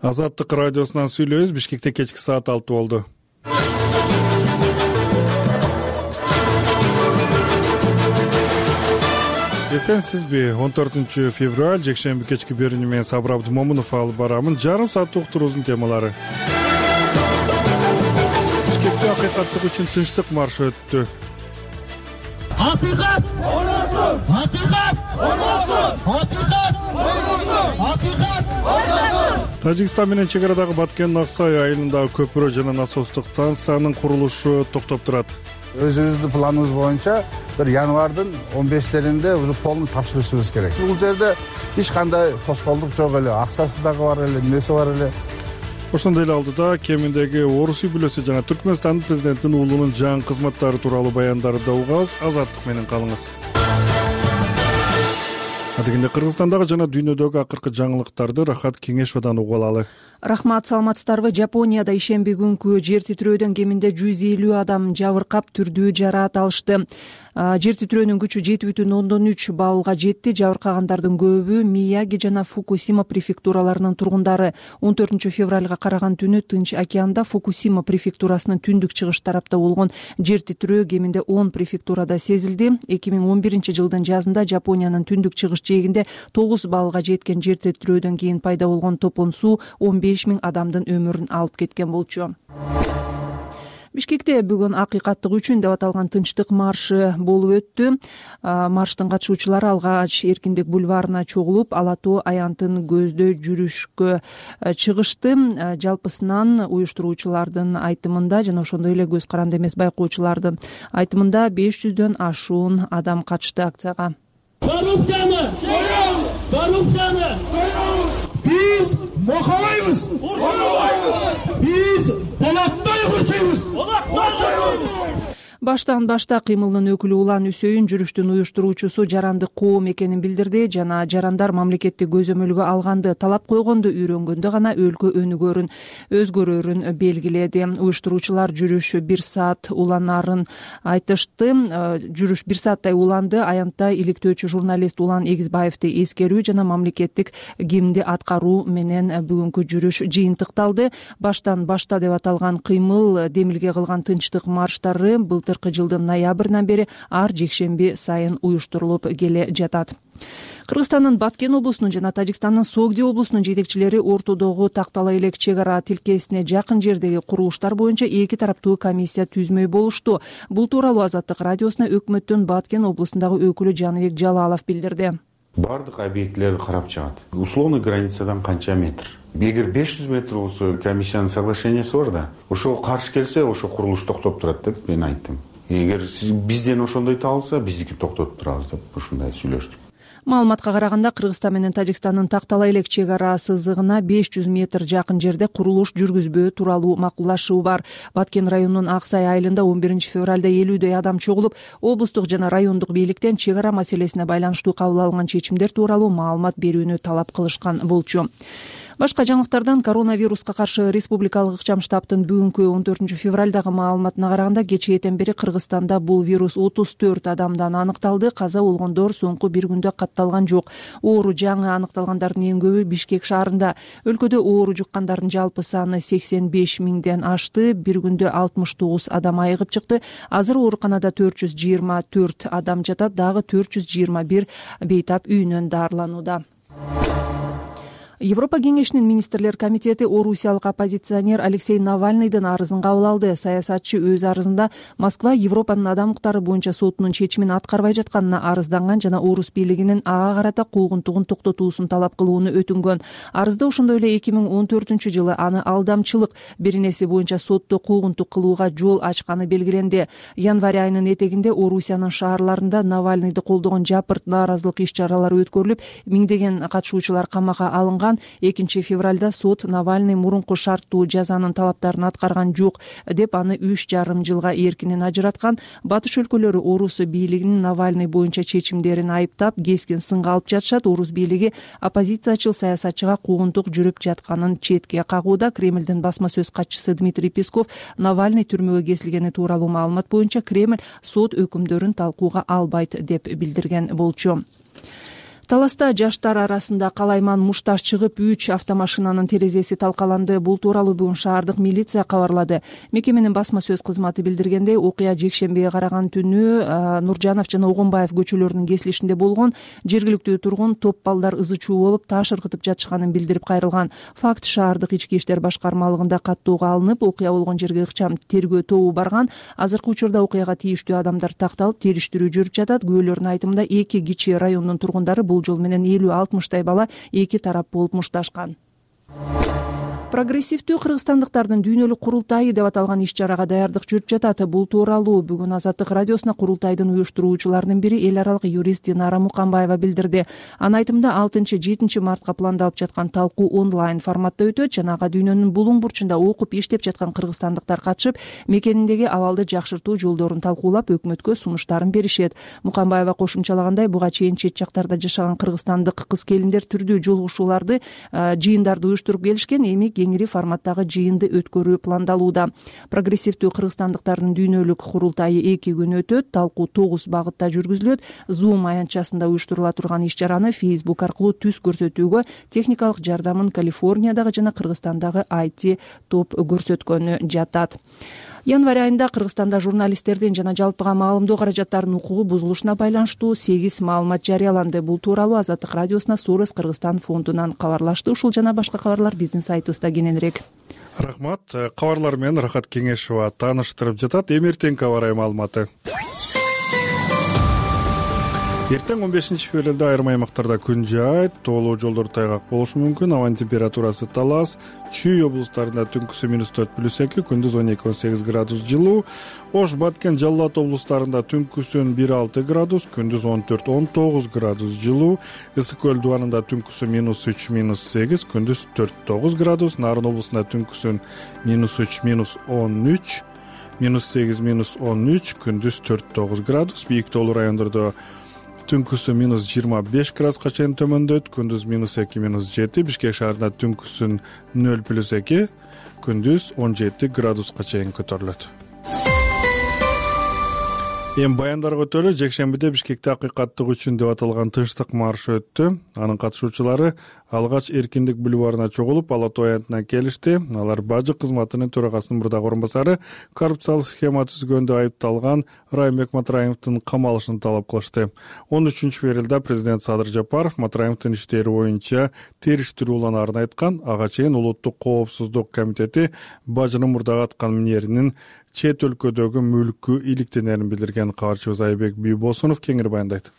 Азаттык радиосунан сүйлөйбүз. Бишкекте кечки саат 6 болду. Эсенсизби? 14 февраль жекшемби кечки берүүнү менен Сабыр Абдымомунов алып барамын. Жарым саат уктуруубуздун темалары. Бишкекте акыйкаттык үчүн тынчтык маршы өттү. Акыйкат ойносун! Акыйкат ойносун! Акыйкат ойносун! Акыйкат ойносун! Тажикстан менен чек арадагы Баткен-Аксай айылындагы көпүрө жана насостук станциянын курулушу токтоп турат. Өзүбүздүн планыбыз боюнча бир январдын 15-леринде уже полный тапшырышыбыз керек. Бул жерде эч кандай тоскоолдук жок эле, акчасы дагы бар эле, эмеси бар эле. Ошондой эле алдыда кеминдеги орус үй-бүлөсү жана Түркмөнстандын президентинин уулунун жаңы кызматтары тууралуу баяндарды да угабыз. Азаттык менен калыңыз. Адегенде Кыргызстандагы жана дүйнөдөгү акыркы жаңылыктарды Рахат Кеңешовдон угуп алалы. Рахмат, саламатсыздарбы? Жапонияда ишемби күнкү жер титирөөдөн кеминде 150 адам жабыркап, түрдүү жараат алышты. Жер титирөөнүн күчү 7,3 баллга жетти. Жабыркагандардын көбү Мияги жана Фукусима префектураларынын тургундары. 14 февралга караган түнү Тынч океанда Фукусима префектурасынын түндүк чыгыш тарапта болгон жер титирөө кеминде 10 префектурада сезилди. 2011 жылдын жазында Жапониянын түндүк чыгыш жээгинде 9 баллга жеткен жер титирөөдөн кийин пайда болгон топон суу 15 000 адамдын өмүрүн алып кеткен болчу. Бишкекте бүгүн акыйкаттык үчүн деп аталган тынчтык маршы болуп өттү. Марштын катышуучулары алгач Эркиндик бульварына чогулуп, Ала тоо аянтын көздөй жүрүшкө чыгышты. Жалпысынан уюштуруучулардын айтымында жана ошондой эле көз каранды эмес байкоочулардын айтымында 500дөн ашуун адам катышты акцияга. Коррупцияны коррупцияны биз мохабайбыз, биз болоттой курчуйбуз. Баштан башта кыймылдын өкүлү Улан Үсөйүн жүрүштүн уюштуруучусу жарандык коом экенин билдирди жана жарандар мамлекетти көзөмөлгө алганды, талап койгонду үйрөнгөндө гана өлкө өнүгөрүн, өзгөрөрүн белгиледи. Уюштуруучулар жүрүш 1 саат уланарын айтышты. Жүрүш 1 сааттай уланды. Аянтта иликтөөчү журналист Улан Эгизбаевди эскерүү жана мамлекеттик гимнди аткаруу менен бүгүнкү жүрүш жыйынтыкталды. Баштан башта деп аталган кыймыл демилге кылган тынчтык марштары былтыркы жылдын ноябрынан бери ар жекшемби сайын уюштурулуп келе жатат. Кыргызстандын Баткен облусунун жана Тажикстандын Согди облусунун жетекчилери ортодогу Тактала элек чек ара тилкесине жакын жердеги курулуштар боюнча эки тараптуу комиссия түзмөй болушту. Бул тууралуу Азаттык радиосуна өкмөттүн Баткен облусундагы өкүлү Жаныбек Жалалов билдирди. Бардык объектилерди карап чыгат. Условный границадан канча метр? Эгер 500 метр болсо комиссиянын соглашениясы бар да, ошого каршы келсе, ошо курулуш токтоп турат деп мен айттым. Эгер бизден ошондой табылса, биздики токтотуп турабыз деп ушундай сүйлөштүк. Маалыматка караганда Кыргызстан менен Тажикстандын Тактала элек чек ара сызыгына 500 метр жакын жерде курулуш жүргүзбөө тууралуу макулдашуу бар. Баткен районунун Аксай айылында 11 февралда 50дөй адам чогулуп, облустук жана райондук бийликтен чек ара маселесине байланыштуу кабыл алынган чечимдер тууралуу маалымат берүүнү талап кылышкан болчу. Башка жаңылыктардан коронавируска каршы республикалык ыкчам штабтын бүгүнкү 14 февралдагы маалыматына караганда кечээден бери Кыргызстанда бул вирус 34 адамдан аныкталды. Каза болгондор соңку бир күндө катталган жок. Оору жаңы аныкталгандардын эң көбү Бишкек шаарында. Өлкөдө оору жуккандардын жалпы саны 85 000ден ашты. Бир күндө 69 адам айыгып чыкты. Азыр ооруканада 424 адам жатат, дагы 421 бейтап үйүнөн дарыланууда. Европа кеңешинин министрлер комитети орусиялык оппозиционер Алексей Навальныйдын арызын кабыл алды. Саясатчы өз арызында Москва Европанын адам укуктары боюнча сотунун чечимин аткарбай жатканына арызданган жана орус бийлигинин ага карата куугунтугун токтотуусун талап кылууну өтүнгөн. Арызда ошондой эле 2014 жылы аны алдамчылык беренеси боюнча сотто куугунтук кылууга жол ачканы белгиленди. Январь айынын этегинде Орусиянын шаарларында Навальныйды колдогон жапырт нааразылык иш-чаралары өткөрүлүп, миңдеген катышуучулар камакка алынган. 2 февралда сот Навальный мурунку шарттуу жазанын талаптарын аткарган жок деп аны 3,5 жылга эркинен ажыраткан. Батыш өлкөлөрү орус бийлигинин Навальный боюнча чечимдерин айыптап, кескин сынга алып жатышат. Орус бийлиги оппозициячыл саясатчыга куугунтук жүрүп жатканын четке кагууда. Кремлдин басма сөз катчысы Дмитрий Песков Навальный түрмөгө кесилгени тууралуу маалымат боюнча Кремль сот өкүмдөрүн талкууга албайт деп билдирген болчу. Таласта жаштар арасында калайман мушташ чыгып 3 автомашинанын терезеси талкаланды. Бул тууралуу бүгүн шаардык милиция кабарлады. Мекеменин басма сөз кызматы билдиргендей, окуя жекшембиге караган түнү Нуржанов жана Огонбаев көчөлөрүнүн кесилишинде болгон. Жергиликтүү тургун топ балдар ызы чуу болуп таш ыргытып жатышканын билдирип кайрылган. Факт шаардык ички иштер башкармалыгында каттууга алынып, окуя болгон жерге ыкчам тергөө тобу барган. Азыркы учурда окуяга тийиштүү адамдар такталып, териштирүү жүрүп жатат. Күбөлөрдүн айтымында эки кичи райондун тургундары бул жол менен 50-60 бала эки тарап болуп мушташкан. Прогрессивдүү кыргызстандыктардын дүйнөлүк курултайы деп аталган иш-чарага даярдык жүрүп жатат. Бул тууралуу бүгүн Азаттык радиосуна курултайдын уюштуруучуларынын бири эл аралык юрист Динара Мукамбаева билдирди. Анын айтымында 6-7 мартка пландалып жаткан талкуу онлайн форматта өтөт жана ага дүйнөнүн булуң бурчунда окуп иштеп жаткан кыргызстандыктар катышып, мекениндеги абалды жакшыртуу жолдорун талкуулап, өкмөткө сунуштарын беришет. Мукамбаева кошумчалагандай, буга чейин чет жактарда жашаган кыргызстандык кыз-келиндер түрдүү жолугушууларды, жыйындарды уюштуруп келишкен. Эми кеңири форматтагы жыйынды өткөрүү пландалууда. Прогрессивдүү кыргызстандыктардын дүйнөлүк курултайы 2 күн өтөт. Талкуу 9 багытта жүргүзүлөт. Zoom аянтчасында уюштурула турган иш-чараны Facebook аркылуу түз көрсөтүүгө техникалык жардамын Калифорниядагы жана Кыргызстандагы IT топ көрсөткөнү жатат. Январь айында Кыргызстанда журналисттердин жана жалпыга маалымдоо каражаттарынын укугу бузулушуна байланыштуу 8 маалымат жарыяланды. Бул тууралуу Азаттык радиосуна Сурес Кыргызстан фондунан кабарлашты. Ушул жана башка кабарлар биздин сайтыбызда кененирээк. Рахмат. Кабарлар менен Рахат Кеңешова тааныштырып жатат. Эмертең кабар маалыматы. Эртең 15-февралда айрым аймактарда күн жаайт, тоолуу жолдор тайгак болушу мүмкүн. Абанын температурасы Талас, Чүй облустарында түнкүсү -4+2, күндүз 12-18 градус жылуу. Ош, Баткен, Жалал Абад облустарында түнкүсүн 1-6 градус, күндүз 14-19 градус жылуу. Ысык көл дубанында түнкүсү -3-8, күндүз 4-9 градус. Нарын облусунда түнкүсүн -3-13, -8-13, күндүз 4-9 градус. Бийик тоолуу райондордо түнкүсү -25 градуска чейин төмөндөйт, күндүз -2-7. Бишкек шаарында түнкүсүн 0+2, күндүз 17 градуска чейин көтөрүлөт. Эми баяндарга өтөлү. Жекшембиде Бишкекте акыйкаттык үчүн деп аталган тынчтык маршы өттү. Анын катышуучулары алгач Эркиндик бульварына чогулуп, Ала Тоо аянтына келишти. Алар бажы кызматынын төрагасынын мурдагы орун басары коррупциялык схема түзгөндө айыпталган Райымбек Матраимовдун камалышын талап кылышты. 13-февралда президент Садыр Жапаров Матраимовдун иштери боюнча териштирүү уланаарын айткан. Ага чейин Улуттук коопсуздук комитети бажынын мурдагы аткан минеринин чет өлкөдөгү мүлкү иликтенерин билдирген. Кабарчыбыз Айбек Бийбосунов кеңири баяндайт.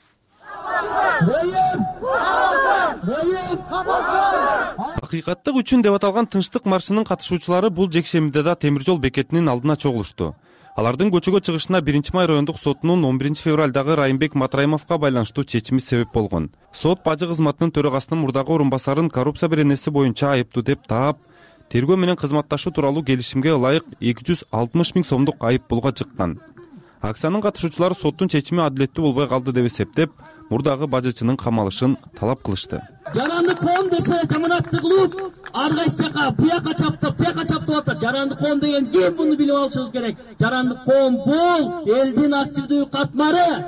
Акыйкаттык үчүн деп аталган тынчтык маршынын катышуучулары бул жекшембиде да темир жол бекетинин алдына чогулушту. Алардын көчөгө чыгышына 1-май райондук сотунун 11-февралдагы Райымбек Матраимовго байланыштуу чечими себеп болгон. Сот бажы кызматынын төрагасынын мурдагы орун басарын коррупция беренеси боюнча айыптуу деп таап, тергөө менен кызматташуу тууралуу келишимге ылайык 260 000 сомдук айып пулга чыккан. Акциянын катышуучулары соттун чечими адилеттүү болбой калды деп эсептеп, мурдагы бажычынын камалышын талап кылышты. Жаранды коом десе жаманатты кылып, ар кайсы жака буяка чаптап, тияка чаптап атат. Жаранды коом деген ким, буну билип алышыбыз керек. Жаранды коом бул элдин активдүү катмары.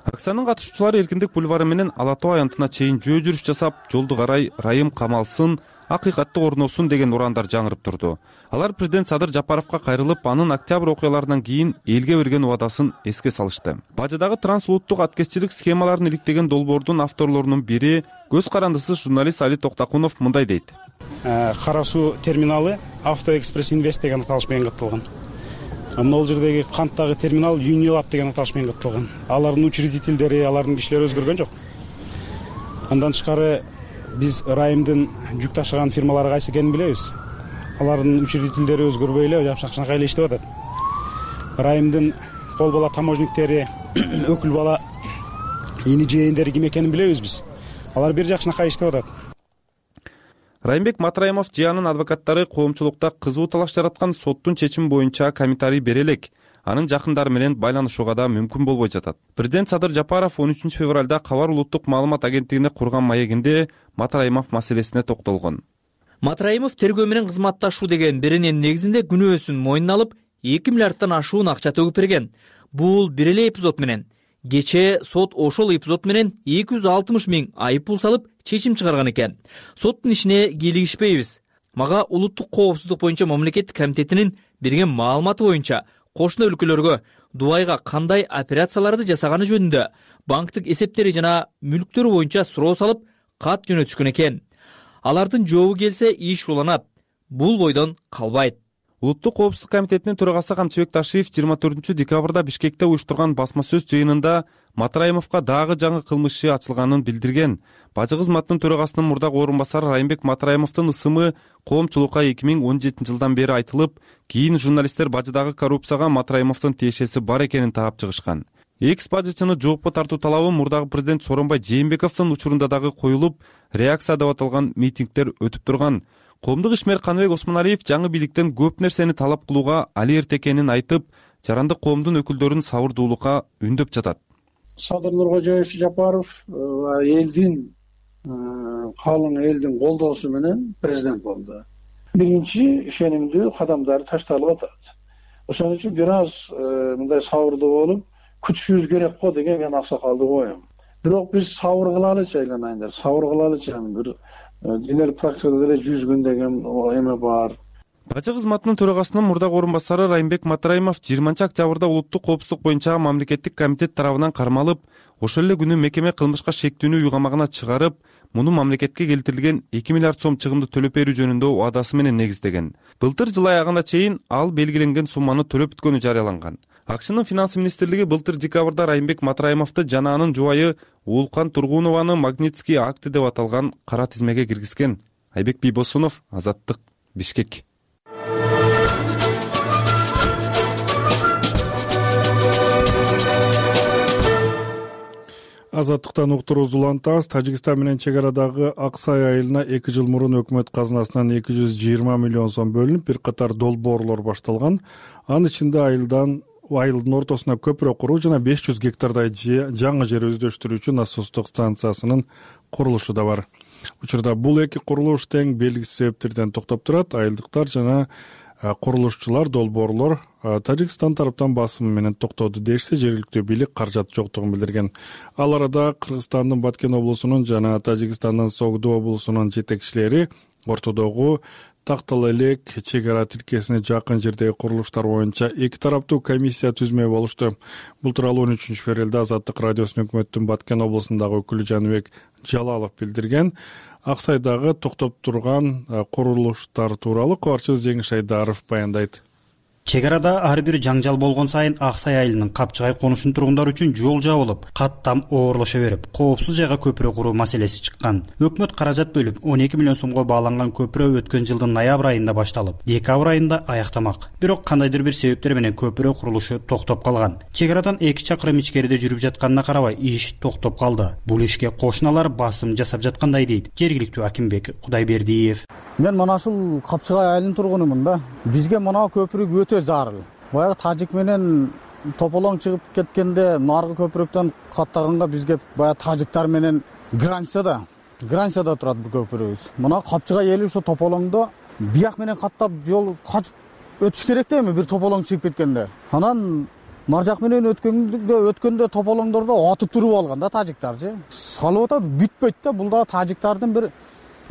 Акциянын катышуучулары Эркиндик бульвары менен Ала Тоо аянтына чейин жөө жүрүш жасап, жолду карай Райым камалсын, акыйкатты орносун деген урандар жаңырып турду. Алар президент Садыр Жапаровго кайрылып, анын октябрь окуяларынан кийин элге берген убадасын эске салышты. Бажыдагы трансулуттук аткезчилик схемаларын иликтеген долбоордун авторлорунун бири көз карандысыз журналист Али Токтакунов мындай дейт. Кара суу терминалы Автоэкспресс Инвест деген аталыш менен катталган. Могул жердеги канттагы терминал Юнилаб деген аталыш менен катталган. Алардын учредительдери, алардын кишилери өзгөргөн жок. Андан тышкары биз Райымдын жүк ташыган фирмалары кайсы экенин билебиз. Алардын учредительдери өзгөрбөй эле жапшак-жакшай эле иштеп атат. Райымдын кол бала таможниктери, өкүл бала ини жээндери ким экенин билебиз биз. Алар бир жакшынакай иштеп атат. Райымбек Матраимов жыянын адвокаттары коомчулукта кызуу талаш жараткан соттун чечими боюнча комментарий бере элек. Анын жакындары менен байланышууга да мүмкүн болбой жатат. Президент Садыр Жапаров 13-февралда Кабар улуттук маалымат агенттигине курган маегинде Матраимов маселесине токтолгон. Матраимов тергөө менен кызматташуу деген биринин негизинде күнөөсүн мойнуна алып, 2 миллиардтан ашуун акча төгүп берген. Бул бир эле эпизод менен Кечээ сот ошол эпизод менен 260 000 айып пул салып чечим чыгарган экен. Соттун ишине кийлигишпейбиз. Мага улуттук коопсуздук боюнча мамлекеттик комитетинин берген маалыматы боюнча кошуна өлкөлөргө Дубайга кандай операцияларды жасаганы жөнүндө банктык эсептери жана мүлктөрү боюнча суроо салып кат жөнөтүшкөн экен. Алардын жообу келсе иш уланат. Бул бойдон калбайт. Улуттук коопсуздук комитетинин төрагасы Камчыбек Ташиев 24-декабрда Бишкекте уюштурган басма сөз жыйынында Матраимовго дагы жаңы кылмыш иши ачылганын билдирген. Бажы кызматынын төрагасынын мурдагы орун басары Райымбек Матраимовдун ысымы коомчулукка 2017 жылдан бери айтылып, кийин журналисттер бажыдагы коррупцияга Матраимовдун тиешеси бар экенин таап чыгышкан. Экс-бажычыны жоопко тартуу талабы мурдагы президент Сооронбай Жээнбековдун учурунда дагы коюлуп, реакция деп аталган митингдер өтүп турган. Коомдук ишмер Каныбек Осмоналиев жаңы бийликтен көп нерсени талап кылууга али эрте экенин айтып, жарандык коомдун өкүлдөрүн сабырдуулукка үндөп жатат. Садыр Нуркожоевич Жапаров элдин калың элдин колдоосу менен президент болду. Биринчи ишенимдүү кадамдары ташталып атат. Ошон үчүн бир аз мындай сабырдуу болуп күтүшүбүз керек го деген мен аксакалды коем. Бирок биз сабыр кылалычы айланайындар, сабыр кылалычы бир денелик практикада деле 100 күн деген эме бар. Бажы кызматынын төрагасынын мурдагы орун басары Райымбек Матраимов 20-октябрда улуттук коопсуздук боюнча мамлекеттик комитет тарабынан кармалып, ошол эле күнү мекеме кылмышка шектүүнү уйгамагына чыгарып, муну мамлекетке келтирилген 2 миллиард сом чыгымды төлөп берүү жөнүндө убадасы менен негиздеген. Былтыр жыл аягына чейин ал белгиленген сумманы төлөп бүткөнү жарыяланган. АКШнын финанс министрлиги былтыр декабрда Райымбек Матраимовду жана анын жубайы Уулкан Тургунованы Магнитский акты деп аталган кара тизмеге киргизген. Айбек Бийбосунов, Азаттык, Бишкек. Азаттыктан уктуруубузду улантабыз. Тажикстан менен чек арадагы Аксай айылына 2 жыл мурун өкмөт казынасынан 220 миллион сом бөлүнүп, бир катар долбоорлор башталган. Анын ичинде айылдын ортосуна көпүрө куруу жана 500 гектардай жаңы жер өздөштүрүүчү насостук станциясынын курулушу да бар. Учурда бул эки курулуш тең белгисиз себептерден токтоп турат. Айылдыктар жана курулушчулар, долбоорлор Тажикстан тараптан басымы менен токтоду дешсе, жергиликтүү бийлик каражат жоктугун билдирген. Ал арада Кыргызстандын Баткен облусунун жана Тажикстандын Согду облусунун жетекчилери ортодогу Тактал элек чек ара тилкесине жакын жердеги курулуштар боюнча эки тараптуу комиссия түзмөй болушту. Бул тууралуу 13 февралда Азаттык радиосунун өкмөттүн Баткен облусундагы өкүлү Жаныбек Жалалов билдирген. Аксайдагы токтоп турган курулуштар тууралуу кабарчыбыз Жеңиш Айдаров баяндайт. Чек арада ар бир жаңжал болгон сайын Аксай айылынын Капчыгай конушунун тургундары үчүн жол жабылып, каттам оорлошо берип, коопсуз жайга көпүрө куруу маселеси чыккан. Өкмөт каражат бөлүп, 12 миллион сомго бааланган көпүрө өткөн жылдын ноябрь айында башталып, декабрь айында аяктамак. Бирок кандайдыр бир себептер менен көпүрө курулушу токтоп калган. Чек арадан 2 чакырым ичкериде жүрүп жатканына карабай, иш токтоп калды. Бул ишке кошуналар басым жасап жаткандай дейт жергиликтүү Акимбек Кудайбердиев. Мен мына ушул Капчыгай айылынын тургунумун да. Бизге мына көпүрө өтө зарыл. Баягы тажик менен тополоң чыгып кеткенде наркы көпүрөктөн каттаганга бизге баягы тажиктар менен границада турат бул көпүрөбүз. Мына Капчыгай эли ошо тополоңдо бияк менен каттап жол качып өтүш керек да эми бир тополоң чыгып кеткенде. Анан маржак менен өткөндө тополоңдордо атып туруп алган да тажиктарчы. Салып атат, бүтпөйт да, бул да тажиктардын бир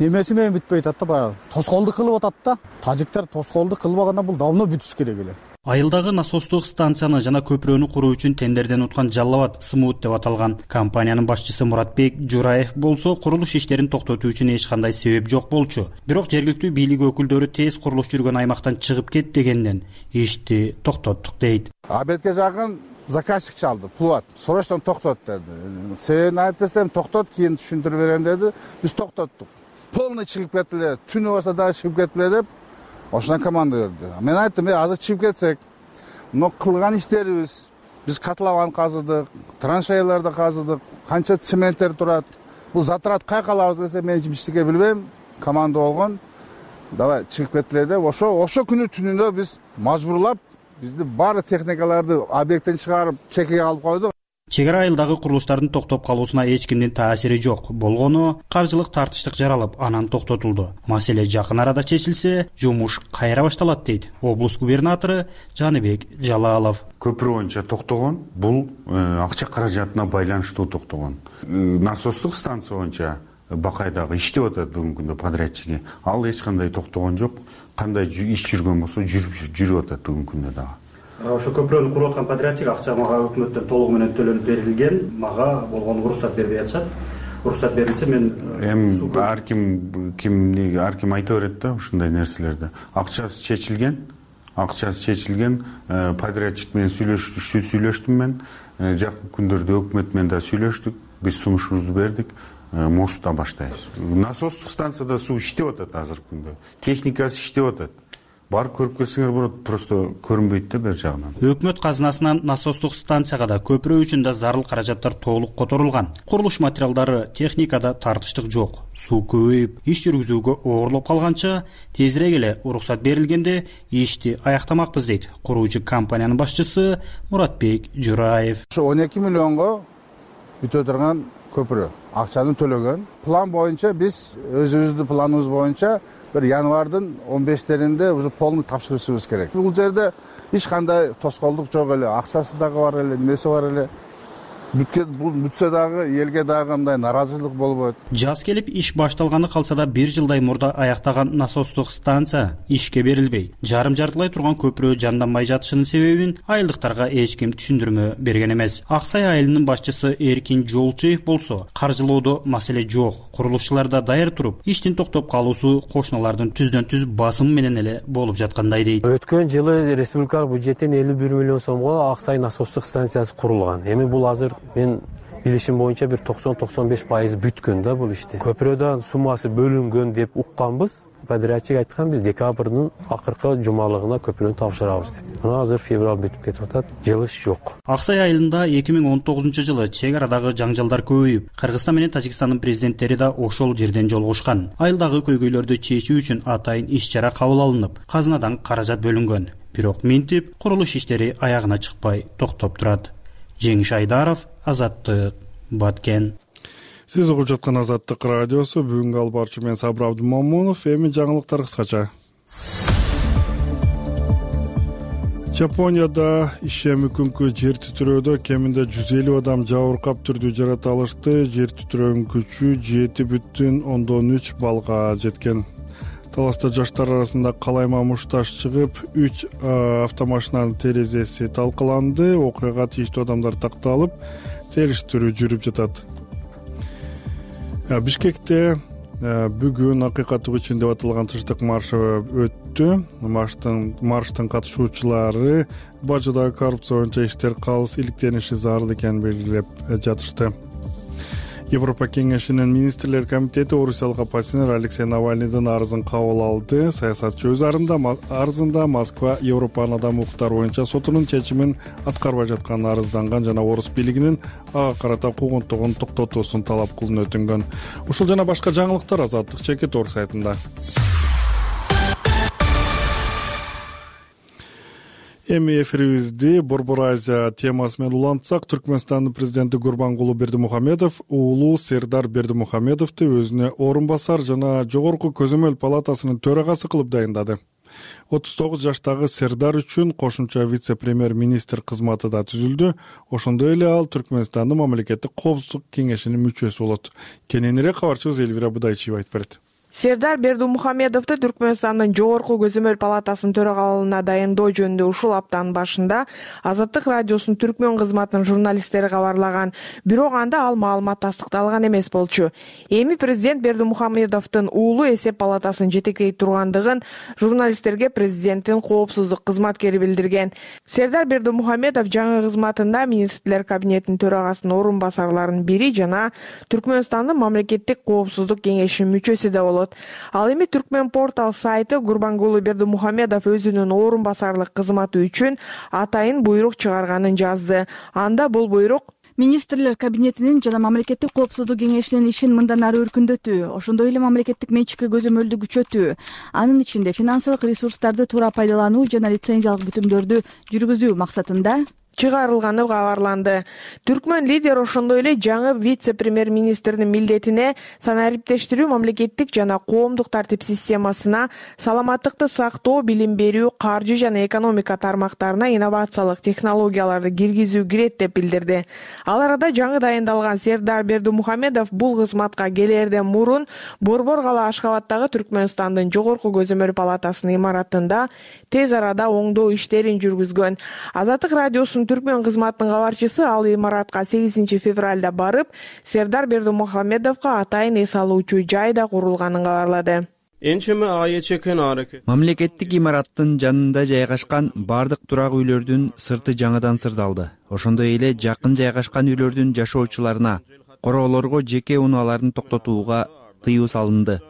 эмеси менен бүтпөй атат да, баягы тоскоолдук кылып атат да. Тажиктар тоскоолдук кылбаганда бул давно бүтүш керек эле. Айылдагы насостук станцияны жана көпүрөнү куруу үчүн тендерден уткан Жаллабад Смут деп аталган компаниянын башчысы Муратбек Жураев болсо, курулуш иштерин токтотуу үчүн эч кандай себеп жок болчу. Бирок жергиликтүү бийлик өкүлдөрү тез курулуш жүргөн аймактан чыгып кет дегенден ишти токтоттук дейт. Абетке жакын заказчик чалды, пулат. Срочно токтот деди. Себебин айт десем, токтот, кийин түшүндүрүп берем деди. Биз токтоттук. Полный чыгып кетиле, түнү болсо дагы чыгып кетиле деп ошондон команда берди. Мен айттым, азыр чыгып кетсек, но кылган иштерибиз, биз котлован казыдык, траншеяларды казыдык, канча цементтер турат. Бул затрат кай калабыз десе, мен эчимчиге билбейм, команда болгон. Давай чыгып кетиле деп, ошо күнү түнүндө биз мажбурлап, бизди баары техникаларды объекттен чыгарып чекеге алып койдук. чек ара айылдагы курулуштардын токтоп калуусуна эч кимдин таасири жок. Болгону каржылык тартыштык жаралып, анан токтотулду. Маселе жакын арада чечилсе, жумуш кайра башталат дейт облус губернатору Жаныбек Жалалов. Көпүрө боюнча токтогон, бул акча каражатына байланыштуу токтогон. Насостук станция боюнча Бакайдагы иштеп атат бүгүнкү күндө подрядчиги. Ал эч кандай токтогон жок. Кандай иш жүргөн болсо жүрүп атат бүгүнкү күндө дагы. Ошо көпүрөнү куруп аткан подрядчик акча мага өкмөттөн толугу менен төлөнүп берилген, мага болгону уруксат бербей атышат. Уруксат берилсе мен ар ким айта берет да ушундай нерселерди. Акчасы чечилген, подрядчик менен сүйлөштүм мен. Жакын күндөрдө өкмөт менен да сүйлөштүк. Биз сунушубузду бердик. Мостта баштайбыз. Насостук станцияда суу иштеп атат азыркы күндө. Техникасы иштеп атат. Барып көрүп келсеңер болот, просто көрүнбөйт да бер жагынан. Өкмөт казынасынан насостук станцияга да көпүрө үчүн да зарыл каражаттар толук которулган. Курулуш материалдары, техникада тартыштык жок. Суу көбөйүп, иш жүргүзүүгө оорлоп калганча, тезирээк эле уруксат берилгенде ишти аяктамакпыз дейт куруучу компаниянын башчысы Муратбек Жураев. Ошо 12 миллионго бүтө турган көпүрө акчаны төлөгөн. План боюнча биз өзүбүздүн планыбыз боюнча bir январдын 15-теринде уже полный тапшырышыбыз керек. Бул жерде эч кандай тоскоолдук жок эле, акчасы дагы бар эле, немеси бар эле. Бүтсө дагы элге дагы андай наразычылык болбойт. Жаз келип иш башталганы калса да 1 жылдай мурда аяктаган насостук станция ишке берилбей, жарым-жартылай турган көпүрө жанданбай жатышынын себебин айылдыктарга эч ким түшүндүрмө берген эмес. Аксай айылынын башчысы Эркин Жолчуев болсо, каржылоодо маселе жок. Курулушчулар да даяр туруп, иштин токтоп калуусу кошуналардын түздөн-түз басымы менен эле болуп жаткандай дейт. Өткөн жылы республикалык бюджеттен 51 миллион сомго Аксай насостук станциясы курулган. Эми бул азыр мен билишим боюнча бир 90-95% бүткөн да бул ишти. Көпүрөдөн суммасы бөлүнгөн деп укканбыз. Подрядчик айткан биз декабрдын акыркы жумалыгына көпүрөнү тапшырабыз деп. Мына азыр февраль бүтүп кетип атат, жылыш жок. Аксай айылында 2019-жылы чек арадагы жаңжалдар көбөйүп, Кыргызстан менен Тажикстандын президенттери да ошол жерден жолугушкан. Айылдагы көйгөйлөрдү чечүү үчүн атайын иш-чара кабыл алынып, казынадан каражат бөлүнгөн. Бирок минтип курулуш иштери аягына чыкпай токтоп турат. Жеңиш Айдаров, Азаттык, Баткен. Сиз угуп жаткан Азаттык радиосу. Бүгүнкү алып барчу мен Сабыр Абдымомунов. Эми жаңылыктар кыскача. Жапонияда ишеми күнкү жер титирөөдө кеминде 150 адам жабыркап түрдүү жаракат алышты. Жер титирөөнүн күчү 7,3 баллга жеткен. Таласта жаштар арасында калайма мушташ чыгып, 3 автомашинанын терезеси талкаланды. Окуяга тийиштүү адамдар такталып, териштирүү жүрүп жатат. Бишкекте бүгүн акыйкаттык үчүн деп аталган тынчтык маршы өттү. Марштын катышуучулары бажыдагы коррупция боюнча иштер калыс иликтениши зарыл экенин белгилеп жатышты. Европа кеңешинин министрлер комитети орусиялык оппозиционер Алексей Навальныйдын арызын кабыл алды. Саясатчы өз арызында Москва Европанын адам укуктары боюнча сотунун чечимин аткарбай жатканын арызданган жана орус бийлигинин ага карата куугунтугун токтотуусун талап кылууну өтүнгөн. Ушул жана башка жаңылыктар Азаттык Чекит орг сайтында. Эми эфирибизди Борбор Азия темасы менен улантсак, Түркмөнстандын президенти Гурбангулы Бердимухамедов уулу Сердар Бердимухамедовду өзүнө орун басар жана жогорку көзөмөл палатасынын төрагасы кылып дайындады. 39 жаштагы Сердар үчүн кошумча вице-премьер-министр кызматы да түзүлдү. Ошондой эле ал Түркмөнстандын мамлекеттик коопсуздук кеңешинин мүчөсү болот. Кененирээк кабарчыбыз Элвира Будайчиева айтып берет. Сердар Бердимухамедовду Түркмөнстандын жогорку көзөмөл палатасынын төрагалыгына дайындоо жөнүндө ушул аптанын башында Азаттык радиосунун түркмөн кызматынын журналисттери кабарлаган. Бирок анда ал маалымат тастыкталган эмес болчу. Эми президент Бердимухамедовдун уулу эсеп палатасын жетектей тургандыгын журналисттерге президенттин коопсуздук кызматкери билдирген. Сердар Бердимухамедов жаңы кызматында министрлер кабинетинин төрагасынын орун басарларынын бири жана Түркмөнстандын мамлекеттик коопсуздук кеңешинин мүчөсү да болот. Ал эми Түркмөн портал сайты Гурбангулы Бердимухамедов өзүнүн орун басарлык кызматы үчүн атайын буйрук чыгарганын жазды. Анда бул буйрук министрлер кабинетинин жана мамлекеттик коопсуздук кеңешинин ишин мындан ары өркүндөтүү, ошондой эле мамлекеттик менчикке көзөмөлдү күчөтүү, анын ичинде финансылык ресурстарды туура пайдалануу жана лицензиялык бүтүмдөрдү жүргүзүү максатында чыгарылганы кабарланды. Түркмөн лидер ошондой эле жаңы вице-премьер-министрдин милдетине санариптештирүү, мамлекеттик жана коомдук тартип системасына, саламаттыкты сактоо, билим берүү, каржы жана экономика тармактарына инновациялык технологияларды киргизүү кирет деп билдирди. Ал арада жаңы дайындалган Сердар Бердимухамедов бул кызматка келерден мурун Борбор кала Ашхабадтагы Түркмөнстандын жогорку көзөмөл палатасынын имаратында тез арада оңдоо иштерин жүргүзгөн. Азаттык радиосунун Түркмөн кызматынын кабарчысы ал имаратка 8 февралда барып, Сердар Бердимухамедовго атайын эс алуучу жай да курулганын кабарлады. Мамлекеттик имараттын жанында жайгашкан бардык турак үйлөрдүн сырты жаңыдан сырдалды. Ошондой эле жакын жайгашкан үйлөрдүн жашоочуларына, короолорго жеке унааларын токтотууга тыюу салынды,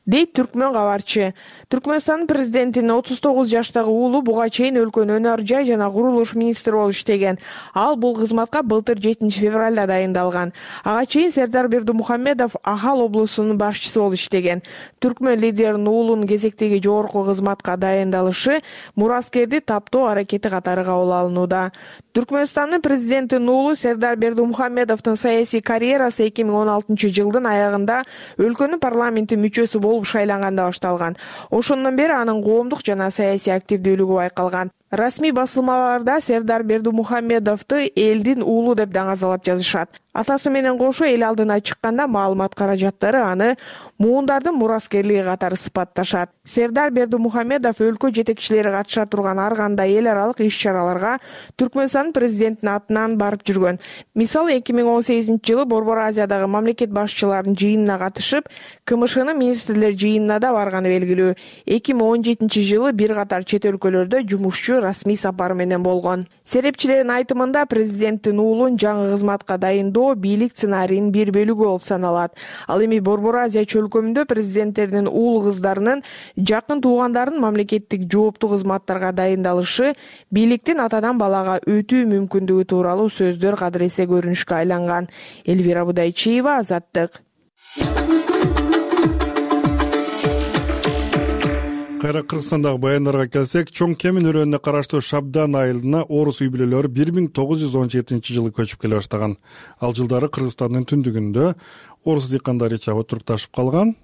дейт Түркмөн кабарчы. Түркмөнстандын президентинин 39 жаштагы уулу буга чейин өлкөнүн өнөр жай жана курулуш министри болуп иштеген. Ал бул кызматка былтыр 7 февралда дайындалган. Ага чейин Сердар Бердимухамедов Ахал облусунун башчысы болуп иштеген. Түркмөн лидеринин уулунун кезектеги жогорку кызматка дайындалышы мураскерди таптоо аракети катары кабыл алынууда. Түркмөнстандын президентинин уулу Сердар Бердимухамедовдун саясий карьерасы 2016 жылдын аягында өлкөнүн парламенти мүчөсү болуп шайланганда башталган. Ошондон бери анын коомдук жана саясий активдүүлүгү байкалган. Расмий басылмаларда Сердар Бердимухамедовду элдин уулу деп даңазалап жазышат. Атасы менен кошо эл алдына чыкканда маалымат каражаттары аны муундардын мураскерлиги катары сыпатташат. Сердар Бердимухамедов өлкө жетекчилери катыша турган ар кандай эл аралык иш-чараларга Түркмөнстандын президентинин атынан барып жүргөн. Мисалы 2018 жылы Борбор Азиядагы мамлекет башчыларынын жыйынына катышып, КМШнын министрлер жыйынына да барганы белгилүү. 2017 жылы бир катар чет өлкөлөрдө жумушчу расмий сапар менен болгон. Серепчилердин айтымында президенттин уулун жаңы кызматка дайындоо бийлик сценарийинин бир бөлүгү болуп саналат. Ал эми Борбор Азия чөлкөмүндө президенттердин уул кыздарынын жакын туугандарынын мамлекеттик жооптуу кызматтарга дайындалышы бийликтин атадан балага өтүү мүмкүндүгү тууралуу сөздөр кадыресе көрүнүшкө айланган. Элвира Будайчиева, Азаттык. Кайра Кыргызстандагы баяндарга келсек, Чоң Кемин өрөөнүнө караштуу Шабдан айылына орус үй бүлөлөрү 1917 жылы көчүп келе баштаган. Ал жылдары Кыргызстандын түндүгүндө орус дыйкандары чабып турукташып калган.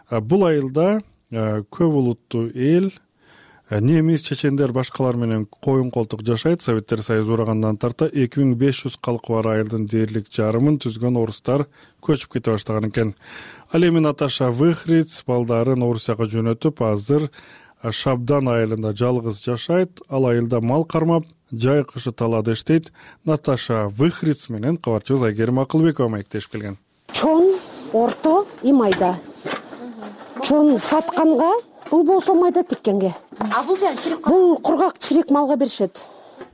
Бул айылда көп улуттуу эл, немис, чечендер, башкалар менен коюн колтук жашайт. Советтер Союзу урагандан тарта 2500 калкы бар айылдын дээрлик жарымын түзгөн орустар көчүп кете баштаган экен. Ал эми Наташа Выхриц балдарын Орусияга жөнөтүп, азыр Шабдан айылында жалгыз жашайт. Ал айылда мал кармап, жай кышы талаада иштейт. Наташа Выхриц менен кабарчыбыз Айгерим Акылбекова маектешип келген. Чон, орто и майда. Чон сатканга, бул болсо майда тиккенге. А бул жан чирик? Бул кургак чирик малга беришет.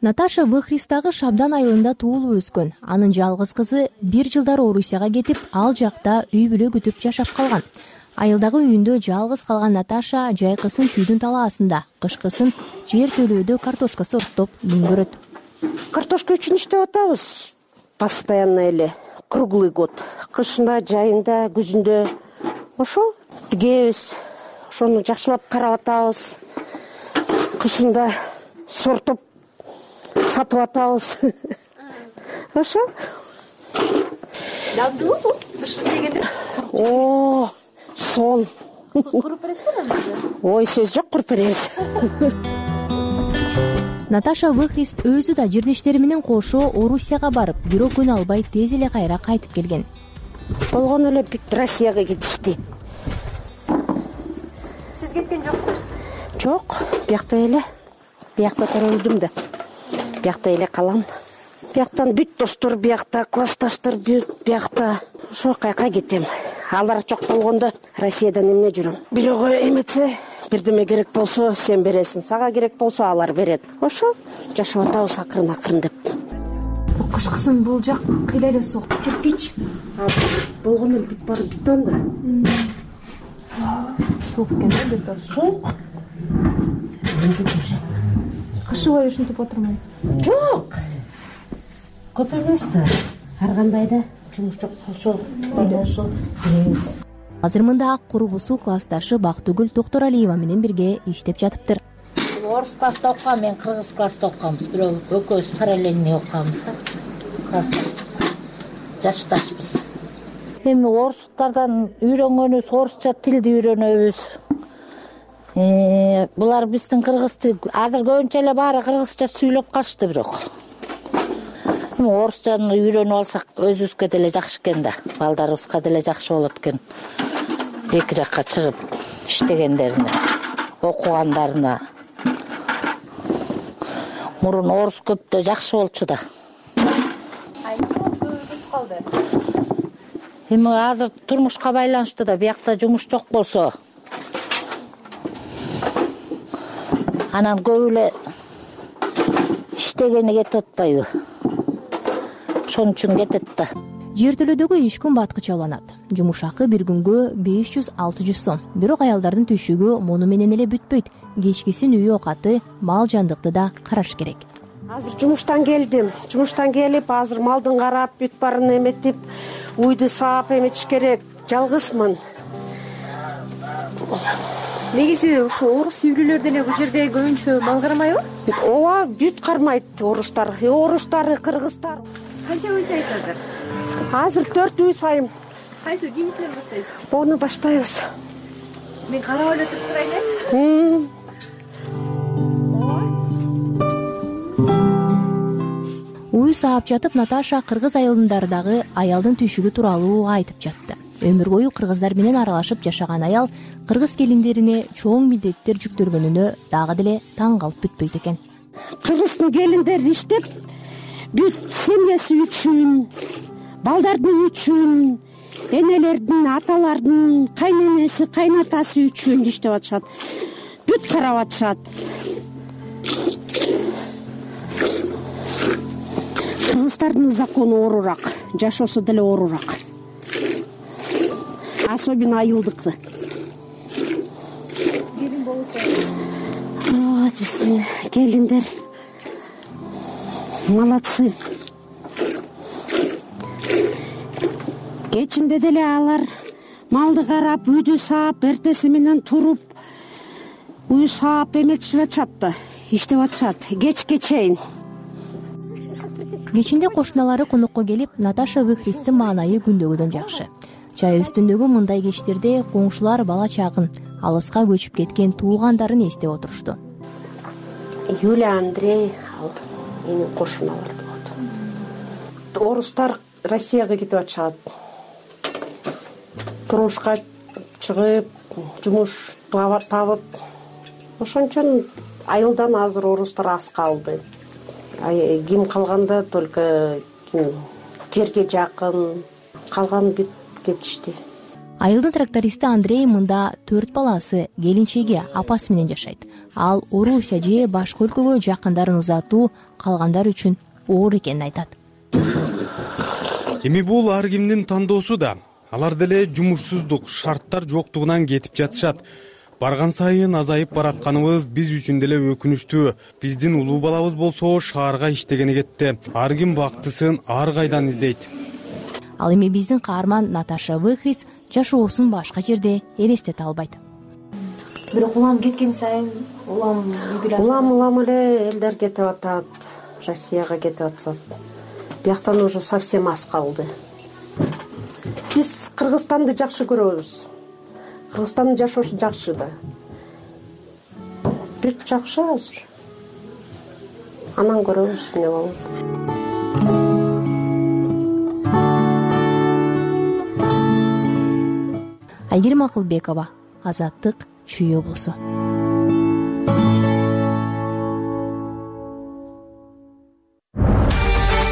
Наташа Выхристагы Шабдан айылында туулуп өскөн. Анын жалгыз кызы 1 жылдар Орусияга кетип, ал жакта үй бүлө күтүп жашап калган. Айылдагы үйүндө жалгыз калган Наташа жайкысын чүйдүн талаасында, кышкысын жер төлөөдө картошка сорттоп үңгөрөт. Картошка үчүн иштеп атабыз. Постоянно эле, круглый год. Кышында, жайында, күзүндө ошо тигебиз. Ошону жакшылап карап атабыз. Кышында сортоп сатып атабыз. Ошо. Дабдуу бул бышыр дегенде. О, сон. Куруп бересизби? Ой, сөз жок, куруп беребиз. Наташа Выхрист өзү да жирдештери менен кошо Орусияга барып, бирок күн албай тез эле кайра кайтып келген. Болгон эле Россияга кетишти. Сиз кеткен жоксуз? Жок, биякта эле. Биякта төрөлдүм да. Биякта эле калам. Бияктан бүт достор биякта, классташтар биякта. Ошо кайка кетем. Алар жок болгондо Россиядан эмне жүрөм. Бирөөгө эметсе, бирдеме керек болсо сен бересиң, сага керек болсо алар берет. Ошо жашап атабыз акырын деп. Кышкысын бул жак кыйла эле суук. Кирпич. Болгон эле бүт баары бетон да. Суук экен да, бетон. Суук. Кышы бою ушинтип отурмайбы? Жок. Көп эмес да. Ар кандай да жумуш жок болсо, беребиз. Азыр мында ак курбусу классташы Бактыгүл Токторалиева менен бирге иштеп жатыптыр. орус класста окуган, мен кыргыз класста окуганбыз. Бирок экөөбүз параллельный окуганбыз да. Классташпыз. Жашташпыз. Эми орустардан үйрөнгөнүбүз, орусча тилди үйрөнөбүз. Булар биздин кыргыз тил, азыр көбүнчө эле баары кыргызча сүйлөп калышты бирок. Орусчаны үйрөнүп алсак өзүбүзгө деле жакшы экен да. Балдарыбызга деле жакшы болот экен. Эки жакка чыгып иштегендерине, окугандарына. Мурун орус көптө жакшы болчу да. Эми азыр турмушка байланыштуу да, биякта жумуш жок болсо, анан көп эле иштегени кетип атпайбы? Ошон үчүн кетет да. Жертөлөдөгү иш күн баткыча уланат. Жумуш акы бир күнгө 500-600 сом. Бирок аялдардын түшүгү муну менен эле бүтпөйт. Кечкисин үй окаты, мал жандыкты да караш керек. Азыр жумуштан келдим. Жумуштан келип, азыр малдын карап, бүт барын эметип, уйду саап эметиш керек. Жалгызмын. Негизи ушу орус үйлүүлөр деле бул жерде көбүнчө мал карамайбы? Ооба, бүт кармайт орустар. Орустары, кыргыздар. Канча үй сайт азыр? Азыр 4 үй сайым. Кайсы кийимсизден баштайсыз? Оны баштайбыз. Мен карап эле туруп турайын. Уй саап жатып Наташа кыргыз айылындары дагы аялдын түшүгү тууралуу айтып жатты. Өмүр бою кыргыздар менен аралашып жашаган аял кыргыз келиндерине чоң милдеттер жүктөлгөнүнө дагы деле таң калып бүтпөйт экен. Кыргыздын келиндери иштеп, бүт семьясы үчүн, балдардын үчүн, энелердин, аталардын, кайненеси, кайнатасы үчүн иштеп атышат. Бүт карап атышат. Кыргыздардын закону оорураак, жашоосу деле оорураак. Особенно айылдыкты. Келин болсо. Биздин келиндер молодцы. Кечинде деле алар малды карап, үйдү саап, эртеси менен туруп, үй саап эметишип атышат да, иштеп атышат. Кечке чейин. Кечинде кошуналары конокко келип, Наташа Выхристин маанайы күндөгүдөн жакшы. Чай үстүндөгү мындай кечтерде коңшулар бала чагын, алыска көчүп кеткен туулгандарын эстеп отурушту. Юлия, Андрей, менин кошуналар болот. Орустар Россияга кетип атышат. Турмушка чыгып, жумуш табып. Ошон айылдан азыр орустар аз калды. Ким калганда только жерге жакын, калган бүт кетишти. Айылдын трактористи Андрей мында 4 баласы, келинчеги, апасы менен жашайт. Ал Орусия же башка өлкөгө жакындарын узатуу калгандар үчүн оор экенин айтат. Эми бул ар кимдин тандоосу да. Алар деле жумушсуздук, шарттар жоктугунан кетип жатышат. Барган сайын азайып баратканыбыз биз үчүн деле өкүнүчтүү. Биздин улуу балабыз болсо шаарга иштегени кетти. Ар ким бактысын ар кайдан издейт. Ал эми биздин каарман Наташа Выхриц жашоосун башка жерде элестете албайт. Бирок улам кеткен сайын улам эле элдер кетип атат, Россияга кетип атат. Бияктан уже совсем аз калды. Биз Кыргызстанды жакшы көрөбүз. Кыргызстандын жашоосу жакшы да. Бүт жакшы азыр. Анан көрөбүз эмне болот. Айгерим Акылбекова, Азаттык, Чүй облусу.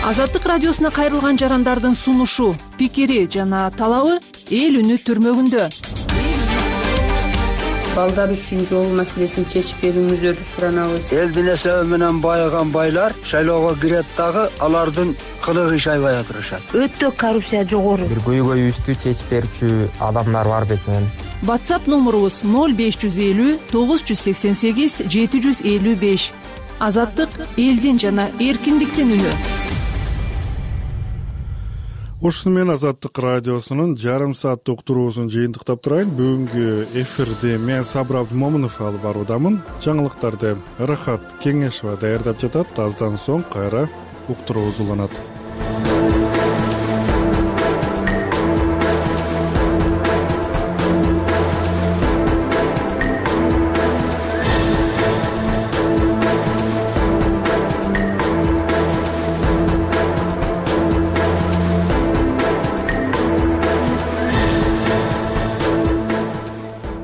Азаттык радиосуна кайрылган жарандардын сунушу, пикири жана талабы эл үнү түрмөгүндө. Балдар үчүн жол маселесин чечип берүүңүздөрдү суранабыз. Элдин эсеби менен байыган байлар шайлоого кирет дагы алардын кылыгы иш айбай отурушат. Өтө коррупция жогору. Бир көйгөйүбүздү чечип берчү адамдар бар бекен. WhatsApp номурубуз 0550 988 755. Азаттык элдин жана эркиндиктин үнү. ушуну менен Азаттык радиосунун жарым сааттык уктуруусун жыйынтыктап турайын. Бүгүнкү эфирди мен Сабыр Абдымомунов алып баруудамын. Жаңылыктарды Рахат Кеңешова даярдап жатат. Аздан соң кайра уктуруубуз уланат.